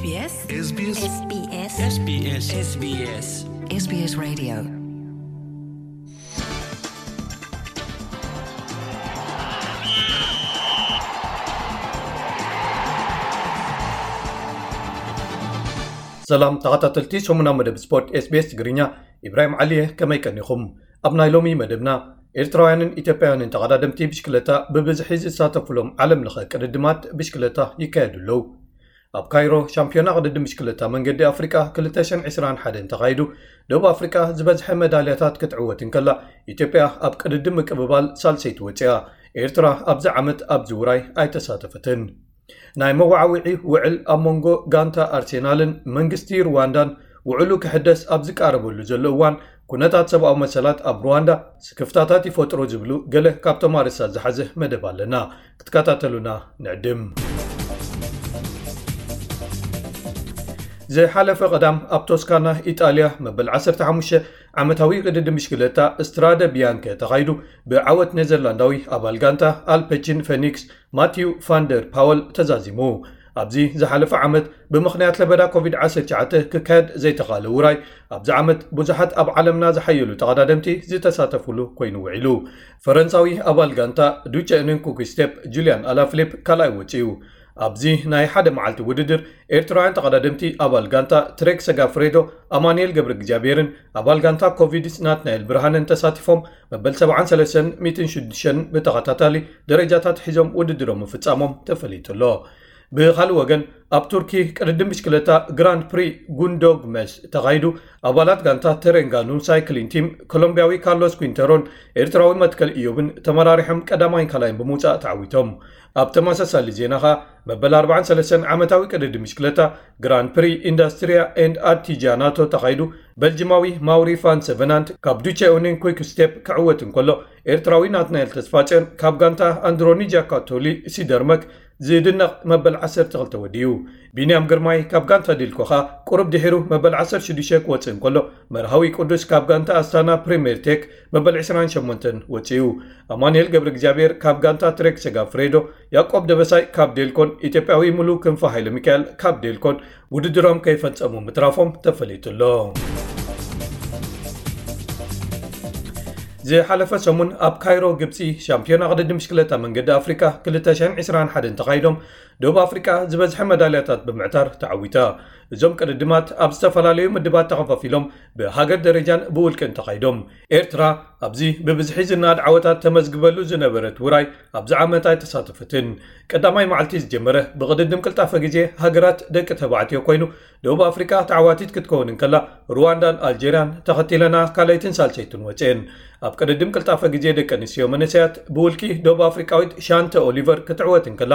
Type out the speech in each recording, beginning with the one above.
SBS SBS SBS SBS SBS SBS Radio. ሰላም ተኸታተልቲ ሰሙና መደብ ስፖርት SBS ትግርኛ፣ ኢብራሂም ዓሊ እየ። ከመይ ቀኒኹም? ኣብ ናይ ሎሚ መደብና፣ ኤርትራውያንን ኢትዮጵያውያንን ተቐዳደምቲ ብሽክለታ ብብዝሒ ዝሳተፉሎም ዓለም ለኸ ቅድድማት ብሽክለታ ይካየዱ ኣለዉ። ኣብ ካይሮ ሻምፒዮና ቅድድም ብሽክለታ መንገዲ ኣፍሪቃ ክልተ ሽሕን ዕስራን ሓደን ተኻይዱ፣ ደቡብ ኣፍሪቃ ዝበዝሐ መዳልያታት ክትዕወት እንከላ፣ ኢትዮጵያ ኣብ ቅድድም ምቅብባል ሳልሰይቲ ወፂኣ። ኤርትራ ኣብዚ ዓመት ኣብዚ ውራይ ኣይተሳተፈትን። ናይ መወዓውዒ ውዕል ኣብ መንጎ ጋንታ ኣርሴናልን መንግስቲ ሩዋንዳን ውዕሉ ክሕደስ ኣብ ዝቃረበሉ ዘሎ እዋን፣ ኩነታት ሰብኣዊ መሰላት ኣብ ሩዋንዳ ስክፍታታት ይፈጥሩ ዝብሉ ገለ ካብቶም ኣርእስታት ዝሓዘ መደብ ኣለና። ክትከታተሉና ንዕድም። ዝሓለፈ ቀዳም ኣብ ቶስካና ኢጣልያ መበል ዓሰርተ ሓሙሽተ ዓመታዊ ቅድድም ብሽክለታ ስትራደ ቢያንከ ተኻይዱ፣ ብዓወት ኔዘርላንዳዊ ኣባል ጋንታ ኣልፐቺን ፈኒክስ ማቲው ፋንደር ፓወል ተዛዚሙ። ኣብዚ ዝሓለፈ ዓመት ብምኽንያት ለበዳ ኮቪድ ዓሰርተ ትሽዓተ ክካየድ ዘይተኻለ ውራይ፣ ኣብዚ ዓመት ብዙሓት ኣብ ዓለምና ዝሓየሉ ተቐዳደምቲ ዝተሳተፉሉ ኮይኑ ውዒሉ። ፈረንሳዊ ኣባል ጋንታ ዱቸ ኡኔን ኩክስቴፕ ጁልያን ኣላፍሊፕ ካልኣይ ወፂኡ። ኣብዚ ናይ ሓደ መዓልቲ ውድድር፣ ኤርትራውያን ተቐዳደምቲ ኣባል ጋንታ ትሬክ ሰጋፍሬዶ ኣማኑኤል ገብረ እግዚኣብሔርን ኣባል ጋንታ ኮቪድስ ናትናኤል ብርሃንን ተሳቲፎም፣ መበል ሰብዓን ሰለስተን ሚእትን ሽዱሽተን ብተኸታታሊ ደረጃታት ሒዞም ውድድሮም ምፍጻሞም ተፈሊጡ ኣሎ። ብኻልእ ወገን፣ ኣብ ቱርኪ ቅድድም ብሽክለታ ግራንድ ፕሪ ጉንዶግመስ ተኻይዱ፣ ኣባላት ጋንታ ተሬንጋኑ ሳይክሊን ቲም፣ ኮሎምቢያዊ ካርሎስ ኩንተሮን ኤርትራዊ መትከል ኢዮብን ተመራሪሖም ቀዳማይን ካልኣይን ብምውጻእ ተዓዊቶም። ኣብ ተመሳሳሊ ዜና ኸኣ፣ መበል ኣርባዓን ሰለስተን ዓመታዊ ቅድድም ብሽክለታ ግራንድ ፕሪ ኢንዳስትሪያ ኤንድ ኣርቲጃናቶ ተኻይዱ፣ በልጅማዊ ማውሪ ፋን ሰቨናንት ካብ ዱቸ ኡኔን ኩክ ስቴፕ ክዕወት እንከሎ፣ ኤርትራዊ ናትናኤል ተስፋጽዮን ካብ ጋንታ ኣንድሮኒ ጃካቶሊ ሲደርመክ ዝድነቕ መበል ዓሰርተ ክልተ ወዲኡ። ቢንያም ግርማይ ካብ ጋንታ ዲልኮ ኸኣ ቁሩብ ድሒሩ መበል ዓሰርተ ሽዱሽተ ክወጽእ እንከሎ፣ መርሃዊ ቅዱስ ካብ ጋንታ ኣስታና ፕሪምየር ቴክ መበል ዕስራን ሸሞንተን ወጺኡ። ኣማኑኤል ገብረ እግዚኣብሔር ካብ ጋንታ ትሬክ ሰጋፍሬዶ፣ ያዕቆብ ደበሳይ ካብ ዴልኮን ኢትዮጵያዊ ሙሉ ክንፈ ሃይለ ሚካኤል ካብ ዴልኮን ውድድሮም ከይፈጸሙ ምትራፎም ተፈሊጡ ኣሎ። ዝሓለፈ ሰሙን ኣብ ካይሮ ግብጺ ሻምፒዮና ቅድድም ብሽክለታ መንገዲ ኣፍሪቃ ክልተ ሽሕን ዕስራን ሓደን ተኻይዶም፣ ደቡብ ኣፍሪቃ ዝበዝሐ መዳልያታት ብምዕታር ተዓዊታ። እዞም ቅድድማት ኣብ ዝተፈላለዩ ምድባት ተኸፋፊሎም ብሃገር ደረጃን ብውልቅን ተኻይዶም። ኤርትራ ኣብዚ ብብዝሒ ዝነኣድ ዓወታት ተመዝግበሉ ዝነበረት ውራይ ኣብዚ ዓመት ኣይተሳተፈትን። ቀዳማይ መዓልቲ ዝጀመረ ብቕድድም ቅልጣፈ ግዜ ሃገራት ደቂ ተባዕትዮ ኮይኑ፣ ደቡብ ኣፍሪቃ ተዓዋቲት ክትከውን እንከላ፣ ሩዋንዳን ኣልጀርያን ተኸቲለና ካልኣይትን ሳልሰይትን ወፅኤን። ኣብ ቅድድም ቅልጣፈ ግዜ ደቂ ኣንስትዮ መንእሰያት ብውልቂ ደቡብ ኣፍሪቃዊት ሻንተ ኦሊቨር ክትዕወት እንከላ፣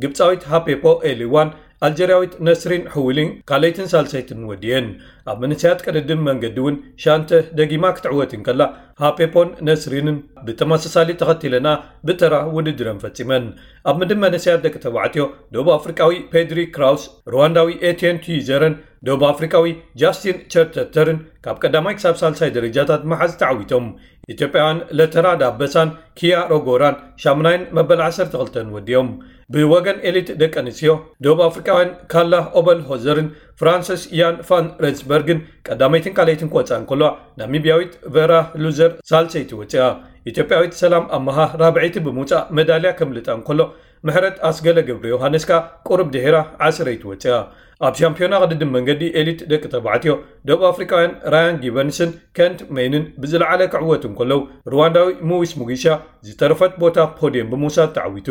ግብፃዊት ሃፔፖ ኤሊዋን ኣልጀርያዊት ነስሪን ሕውሊን ካልኣይትን ሳልሰይትን ወዲየን። ኣብ መንእሰያት ቅድድም መንገዲ እውን ሻንተ ደጊማ ክትዕወት እንከላ፣ ሃፔፖን ነስሪንን ብተመሳሳሊ ተኸቲለና ብተራ ውድድረን ፈጺመን። ኣብ ምድብ መንእሰያት ደቂ ተባዕትዮ፣ ደቡብ ኣፍሪቃዊ ፔድሪ ክራውስ፣ ሩዋንዳዊ ኤትየን ቱይዘረን ደቡብ ኣፍሪቃዊ ጃስቲን ቸርተተርን ካብ ቀዳማይ ክሳብ ሳልሳይ ደረጃታት መሓዝ ተዓዊቶም። ኢትዮጵያውያን ለተራ ዳበሳን ኪያ ሮጎራን ሻምናይን መበል ዓሰርተ ክልተን ወዲኦም። ብወገን ኤሊት ደቂ ኣንስትዮ፣ ደቡብ ኣፍሪቃውያን ካላ ኦበል ሆዘርን ፍራንሰስ ያን ፋን ረንስበርግን ቀዳመይትን ካልኣይትን ክወጻ እንከለዋ፣ ናሚብያዊት ቨራ ሉዘር ሳልሰይቲ ወጺኣ። ኢትዮጵያዊት ሰላም ኣመሃ ራብዐይቲ ብምውጻእ መዳልያ ከምልጣ እንከሎ፣ ምሕረት ኣስገለ ገብረ ዮሃንስ ከኣ ቁሩብ ድሒራ ዓስረይቲ ወጺኣ። ኣብ ሻምፒዮና ቅድድም መንገዲ ኤሊት ደቂ ተባዕትዮ፣ ደቡብ ኣፍሪቃውያን ራያን ጊበንስን ከንት ሜይንን ብዝለዓለ ክዕወቱ እንከለዉ፣ ሩዋንዳዊ ሙዊስ ሙጊሻ ዝተረፈት ቦታ ፖድየም ብምውሳድ ተዓዊቱ።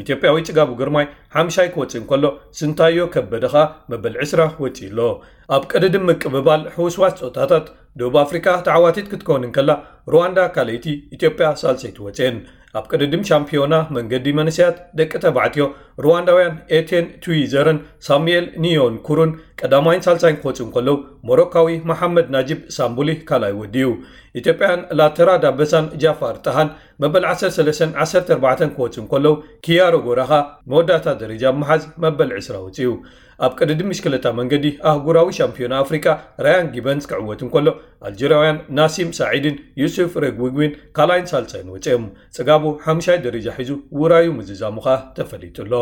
ኢትዮጵያዊ ጽጋቡ ግርማይ ሓምሻይ ክወጽእ እንከሎ፣ ስንታዮ ከበደ ኸኣ መበል ዕስራ ወጺኡ ኣሎ። ኣብ ቅድድም ምቅብባል ሕውስዋስ ጾታታት፣ ደቡብ ኣፍሪቃ ተዓዋቲት ክትከውን እንከላ፣ ሩዋንዳ ካልኣይቲ፣ ኢትዮጵያ ሳልሰይቲ ወጽኤን። ኣብ ቅድድም ሻምፒዮና መንገዲ መንእሰያት ደቂ ተባዕትዮ፣ ሩዋንዳውያን ኤቴን ቱዊዘርን ሳሙኤል ኒዮን ኩሩን ቀዳማይን ሳልሳይን ክወጹ እንከለዉ፣ ሞሮካዊ መሓመድ ናጂብ ሳምቡሊ ካልኣይ ወዲኡ። ኢትዮጵያን ላተራ ዳበሳን ጃፋር ጣሃን መበል ዓሰርተ ሰለስተን ዓሰርተ ኣርባዕተን ክወጹ እንከለዉ፣ ኪያሮ ጎራኻ መወዳእታ ደረጃ ብምሓዝ መበል ዕስራ ወጺኡ። ኣብ ቅድድም ብሽክለታ መንገዲ ኣህጉራዊ ሻምፒዮና ኣፍሪቃ ራያን ጊበንስ ክዕወት እንከሎ፣ ኣልጀርያውያን ናሲም ሳዒድን ዩሱፍ ሬግዊግዊን ካልኣይን ሳልሳይን ወጺኦም። ጽጋቡ ሓምሻይ ደረጃ ሒዙ ውራዩ ምዝዛሙ ኸኣ ተፈሊጡ ኣሎ።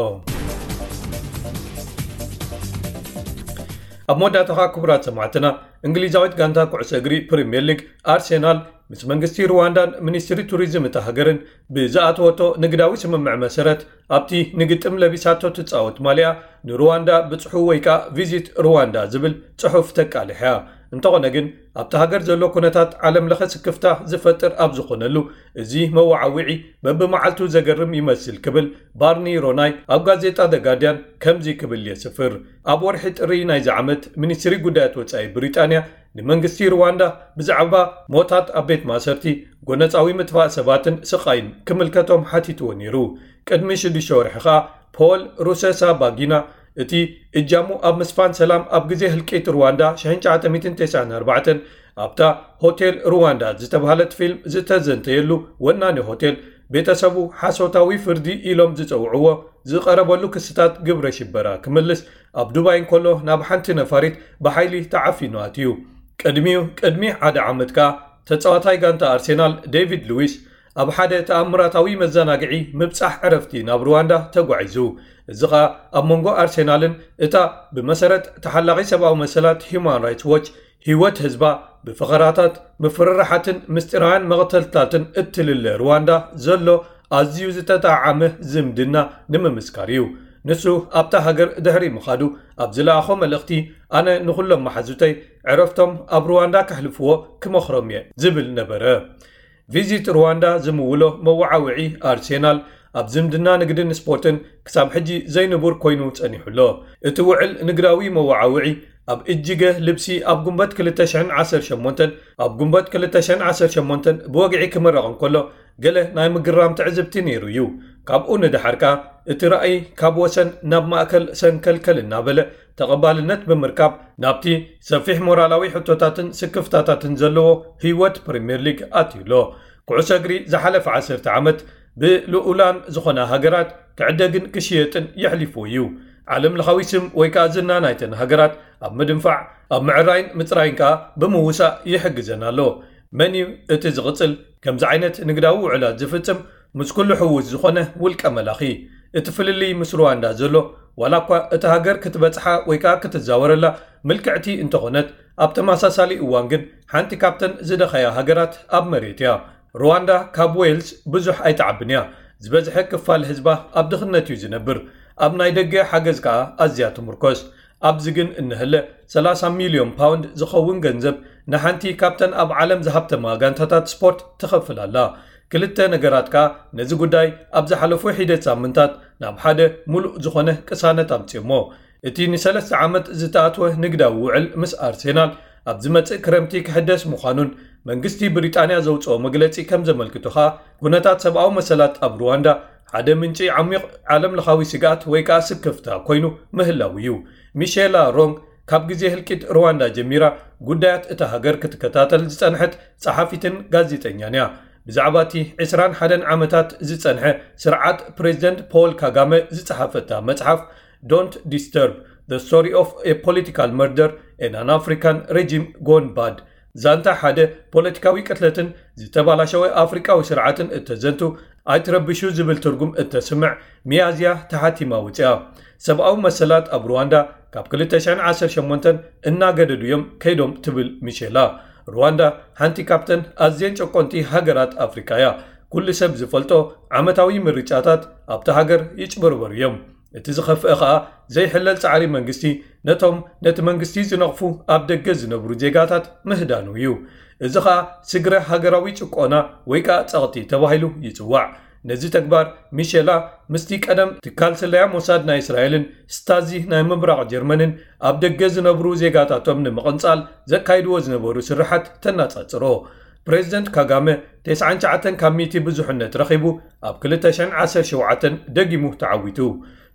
ኣብ መወዳእታ ኸኣ ክቡራት ሰማዕትና፣ እንግሊዛዊት ጋንታ ኩዕሶ እግሪ ፕሪምየር ሊግ ኣርሴናል ምስ መንግስቲ ሩዋንዳን ሚኒስትሪ ቱሪዝም እታ ሃገርን ብዝኣተወቶ ንግዳዊ ስምምዕ መሰረት ኣብቲ ንግጥም ለቢሳቶ ትጻወት ማልያ ንሩዋንዳ ብጽሑ ወይ ከኣ ቪዚት ሩዋንዳ ዝብል ጽሑፍ ተቃልሕ እያ። እንተኾነ ግን ኣብቲ ሃገር ዘሎ ኩነታት ዓለም ለኸ ስክፍታ ዝፈጥር ኣብ ዝኾነሉ እዚ መወዓውዒ በብመዓልቱ ዘገርም ይመስል ክብል ባርኒ ሮናይ ኣብ ጋዜጣ ደ ጋርዲያን ከምዚ ክብል የስፍር። ኣብ ወርሒ ጥሪ ናይዚ ዓመት ሚኒስትሪ ጉዳያት ወጻኢ ብሪጣንያ ንመንግስቲ ሩዋንዳ ብዛዕባ ሞታት ኣብ ቤት ማእሰርቲ፣ ጎነጻዊ ምጥፋእ ሰባትን ስቓይን ክምልከቶም ሓቲትዎ ነይሩ። ቅድሚ ሽዱሽተ ወርሒ ኸኣ ፖል ሩሰሳ ባጊና እቲ እጃሙ ኣብ ምስፋን ሰላም ኣብ ግዜ ህልቂት ሩዋንዳ ሽሕን ትሽዓተ ሚእትን ተስዓን ኣርባዕተን ኣብታ ሆቴል ሩዋንዳ ዝተባህለት ፊልም ዝተዘንተየሉ ወናኒ ሆቴል ቤተሰቡ ሓሶታዊ ፍርዲ ኢሎም ዝጸውዕዎ ዝቐረበሉ ክስታት ግብረ ሽበራ ክምልስ ኣብ ዱባይ እንከሎ ናብ ሓንቲ ነፋሪት ብሓይሊ ተዓፊኑ ኣትዩ። ቅድሚኡ ቅድሚ ሓደ ዓመት ከኣ ተጻዋታይ ጋንታ ኣርሴናል ዴቪድ ሉዊስ ኣብ ሓደ ተኣምራታዊ መዘናግዒ ምብጻሕ ዕረፍቲ ናብ ሩዋንዳ ተጓዒዙ። እዚ ኸኣ ኣብ መንጎ ኣርሴናልን እታ ብመሰረት ተሓላቒ ሰብኣዊ መሰላት ሂዩማን ራይትስ ዎች ህይወት ህዝባ ብፈኸራታት፣ ምፍርራሓትን ምስጢራውያን መቕተልታትን እትልለ ሩዋንዳ ዘሎ ኣዝዩ ዝተጣዓመ ዝምድና ንምምስካር እዩ። ንሱ ኣብታ ሃገር ድሕሪ ምኻዱ ኣብ ዝለኣኾ መልእኽቲ፣ ኣነ ንኹሎም መሓዙተይ ዕረፍቶም ኣብ ሩዋንዳ ከሕልፍዎ ክመኽሮም እየ ዝብል ነበረ። ቪዚት ሩዋንዳ ዝምውሎ መወዓውዒ ኣርሴናል ኣብ ዝምድና ንግድን ስፖርትን ክሳብ ሕጂ ዘይንቡር ኮይኑ ጸኒሑ ኣሎ። እቲ ውዕል ንግዳዊ መወዓውዒ ኣብ እጅገ ልብሲ ኣብ ጉንበት ክልተ ሽሕን ዓሰርተ ሸሞንተን ኣብ ጉንበት ክልተ ሽሕን ዓሰርተ ሸሞንተን ብወግዒ ክምረቕ እንከሎ ገለ ናይ ምግራም ትዕዝብቲ ነይሩ እዩ። ካብኡ ንደሓር ከኣ እቲ ራእይ ካብ ወሰን ናብ ማእከል ሰንከልከል እናበለ ተቐባልነት ብምርካብ ናብቲ ሰፊሕ ሞራላዊ ሕቶታትን ስክፍታታትን ዘለዎ ህይወት ፕሪምየር ሊግ ኣትዩ ኣሎ። ኩዕሶ እግሪ ዝሓለፈ ዓሰርተ ዓመት ብልኡላን ዝኾና ሃገራት ክዕደግን ክሽየጥን የሕሊፍዎ እዩ። ዓለም ለኻዊ ስም ወይ ከኣ ዝና ናይተን ሃገራት ኣብ ምድንፋዕ፣ ኣብ ምዕራይን ምጽራይን ከኣ ብምውሳእ ይሕግዘን ኣሎ። መን እዩ እቲ ዝቕጽል ከምዚ ዓይነት ንግዳዊ ውዕላት ዝፍጽም? ምስ ኩሉ ሕውስ ዝኾነ ውልቀ መላኺ። እቲ ፍልልይ ምስ ሩዋንዳ ዘሎ ዋላ እኳ እታ ሃገር ክትበጽሓ ወይ ከኣ ክትዛወረላ ምልክዕቲ እንተኾነት፣ ኣብ ተመሳሳሊ እዋን ግን ሓንቲ ካብተን ዝደኸያ ሃገራት ኣብ መሬት እያ። ሩዋንዳ ካብ ዌልስ ብዙሕ ኣይትዓብን እያ። ዝበዝሐ ክፋል ህዝባ ኣብ ድኽነት እዩ ዝነብር። ኣብ ናይ ደገ ሓገዝ ከኣ ኣዝያ ትምርኮስ። ኣብዚ ግን እንሀለ ሰላሳ ሚልዮን ፓውንድ ዝኸውን ገንዘብ ንሓንቲ ካብተን ኣብ ዓለም ዝሃብተማ ጋንታታት ስፖርት ትኸፍል ኣላ። ክልተ ነገራት ከኣ ነዚ ጉዳይ ኣብ ዝሓለፉ ሒደት ሳምንታት ናብ ሓደ ሙሉእ ዝኾነ ቅሳነት ኣምጺኦሞ። እቲ ንሰለስተ ዓመት ዝተኣትወ ንግዳዊ ውዕል ምስ ኣርሴናል ኣብ ዝመጽእ ክረምቲ ክሕደስ ምዃኑን መንግስቲ ብሪጣንያ ዘውጽኦ መግለጺ ከም ዘመልክቶ ከኣ ኩነታት ሰብኣዊ መሰላት ኣብ ሩዋንዳ ሓደ ምንጪ ዓሚቕ ዓለም ለኻዊ ስግኣት ወይ ከኣ ስክፍታ ኮይኑ ምህላው እዩ። ሚሼላ ሮንግ ካብ ግዜ ህልቂት ሩዋንዳ ጀሚራ ጉዳያት እታ ሃገር ክትከታተል ዝጸንሐት ጸሓፊትን ጋዜጠኛን እያ። ብዛዕባ እቲ ዕስራን ሓደን ዓመታት ዝጸንሐ ስርዓት ፕሬዚደንት ፖል ካጋመ ዝጸሓፈታ መጽሓፍ Don't Disturb: The Story of a Political Murder and an African Regime Gone Bad፣ ዛንታ ሓደ ፖለቲካዊ ቅትለትን ዝተባላሸወ ኣፍሪቃዊ ስርዓትን እተዘንቱ፣ ኣይትረብሹ ዝብል ትርጉም እተስምዕ፣ ሚያዝያ ተሓቲማ ወጺኣ። ሰብኣዊ መሰላት ኣብ ሩዋንዳ ካብ ክልተ ሽሕን ዓሰርተ ሸሞንተን እናገደዱ እዮም ከይዶም ትብል ሚሼላ። ሩዋንዳ ሓንቲ ካብተን ኣዝየን ጨቆንቲ ሃገራት ኣፍሪቃ እያ። ኩሉ ሰብ ዝፈልጦ ዓመታዊ ምርጫታት ኣብታ ሃገር ይጭበርበሩ እዮም። እቲ ዝኸፍአ ኸኣ ዘይሕለል ጻዕሪ መንግስቲ ነቶም ነቲ መንግስቲ ዝነቕፉ ኣብ ደገ ዝነብሩ ዜጋታት ምህዳኑ እዩ። እዚ ኸኣ ስግረ ሃገራዊ ጭቆና ወይ ከኣ ጸቕጢ ተባሂሉ ይጽዋዕ። ነዚ ተግባር ሚሼላ ምስቲ ቀደም ትካል ስለያ ሞሳድ ናይ እስራኤልን ስታዚ ናይ ምብራቕ ጀርመንን ኣብ ደገ ዝነብሩ ዜጋታቶም ንምቕንጻል ዘካይድዎ ዝነበሩ ስርሓት ተነጻጽሮ። ፕሬዚደንት ካጋመ ተስዓን ትሽዓተን ካብ ሚእቲ ብዙሕነት ረኺቡ ኣብ ክልተ ሽሕን ዓሰርተ ሸውዓተን ደጊሙ ተዓዊቱ።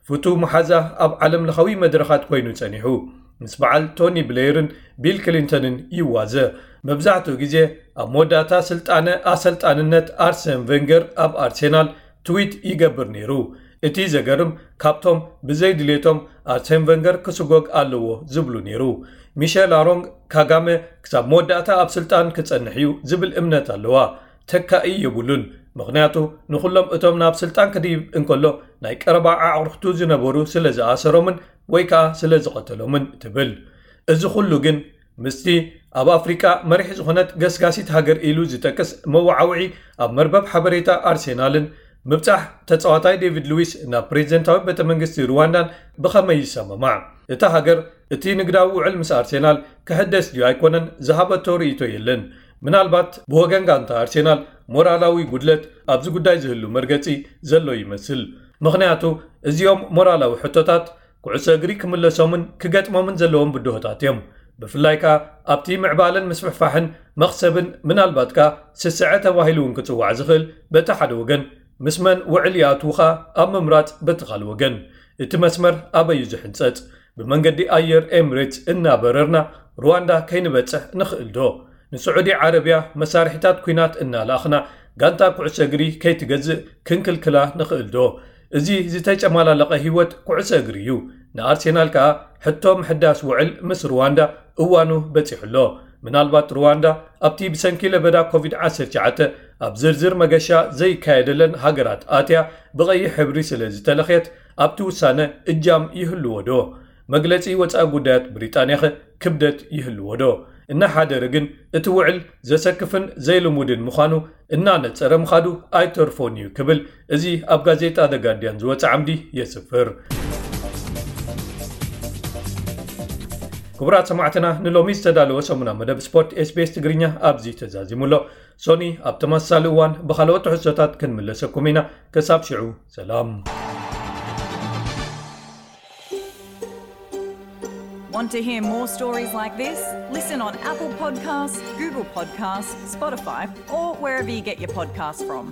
ፍቱው መሓዛ ኣብ ዓለም ለኻዊ መድረኻት ኮይኑ ጸኒሑ። ምስ በዓል ቶኒ ብሌየርን ቢል ክሊንተንን ይዋዘ። መብዛሕትኡ ግዜ ኣብ መወዳእታ ስልጣነ ኣሰልጣንነት ኣርሰን ቬንገር ኣብ ኣርሴናል ትዊት ይገብር ነይሩ። እቲ ዘገርም ካብቶም ብዘይ ድሌቶም ኣርሴን ቬንገር ክስጎግ ኣለዎ ዝብሉ ነይሩ። ሚሼል ኣሮንግ ካጋመ ክሳብ መወዳእታ ኣብ ስልጣን ክጸንሕ እዩ ዝብል እምነት ኣለዋ። ተካኢ የብሉን፣ ምኽንያቱ ንኹሎም እቶም ናብ ስልጣን ክድይብ እንከሎ ናይ ቀረባ ኣዕሩኽቱ ዝነበሩ ስለ ዝኣሰሮምን ወይ ከኣ ስለ ዝቐተሎምን ትብል። እዚ ኩሉ ግን ምስቲ ኣብ ኣፍሪቃ መሪሕ ዝኾነት ገስጋሲት ሃገር ኢሉ ዝጠቅስ መወዓውዒ ኣብ መርበብ ሓበሬታ ኣርሴናልን ምብጻሕ ተጻዋታይ ዴቪድ ሉዊስ ናብ ፕሬዚደንታዊ ቤተ መንግስቲ ሩዋንዳን ብኸመይ ይሰማማዕ? እታ ሃገር እቲ ንግዳዊ ውዕል ምስ ኣርሴናል ክሕደስ ድዩ ኣይኮነን ዝሃበቶ ርእይቶ የለን። ምናልባት ብወገን ጋንታ ኣርሴናል ሞራላዊ ጉድለት ኣብዚ ጉዳይ ዝህሉ መርገጺ ዘሎ ይመስል። ምኽንያቱ እዚኦም ሞራላዊ ሕቶታት ኩዕሶ እግሪ ክምለሶምን ክገጥሞምን ዘለዎም ብድሆታት እዮም። ብፍላይ ከኣ ኣብቲ ምዕባለን ምስፍሕፋሕን መኽሰብን ምናልባት ከኣ ስስዐ ተባሂሉ እውን ክጽዋዕ ዝኽእል በቲ ሓደ ወገን ምስ መን ውዕል ይኣትዉኻ ኣብ ምምራጽ በቲ ካልእ ወገን እቲ መስመር ኣበይ እዩ ዝሕንጸጽ? ብመንገዲ ኣየር ኤምሬትስ እናበረርና ሩዋንዳ ከይንበጽሕ ንኽእል ዶ? ንስዑዲ ዓረብያ መሳርሒታት ኲናት እናላእኽና ጋንታ ኩዕሶ እግሪ ከይትገዝእ ክንክልክላ ንኽእል ዶ? እዚ ዝተጨማላለቐ ህይወት ኩዕሶ እግሪ እዩ። ንኣርሴናል ከኣ ሕቶ ምሕዳስ ውዕል ምስ ሩዋንዳ እዋኑ በጺሑ ኣሎ። ምናልባት ሩዋንዳ ኣብቲ ብሰንኪ ለበዳ ኮቪድ ዓሰርተ ትሽዓተ ኣብ ዝርዝር መገሻ ዘይካየደለን ሃገራት ኣትያ ብቐይሕ ሕብሪ ስለ ዝተለኽየት ኣብቲ ውሳነ እጃም ይህልዎ ዶ? መግለጺ ወጻኢ ጉዳያት ብሪጣንያኸ ክብደት ይህልዎ ዶ? እናሓደረ ግን እቲ ውዕል ዘሰክፍን ዘይልሙድን ምዃኑ እናነጸረ ምኻዱ ኣይተርፎን እዩ ክብል እዚ ኣብ ጋዜጣ The Guardian ዝወጸ ዓምዲ የስፍር። ክቡራት ሰማዕትና ንሎሚ ዝተዳለወ ሰሙና መደብ ስፖርት ኤስቢኤስ ትግርኛ ኣብዚ ተዛዚሙ ኣሎ። ሶኒ ኣብ ተመሳሳሊ እዋን ብኻልኦት ትሕዝቶታት ክንምለሰኩም ኢና። ክሳብ ሽዑ ሰላም። Want to hear more stories like this? Listen on Apple Podcasts, Google Podcasts, Spotify, or wherever you get your podcasts from.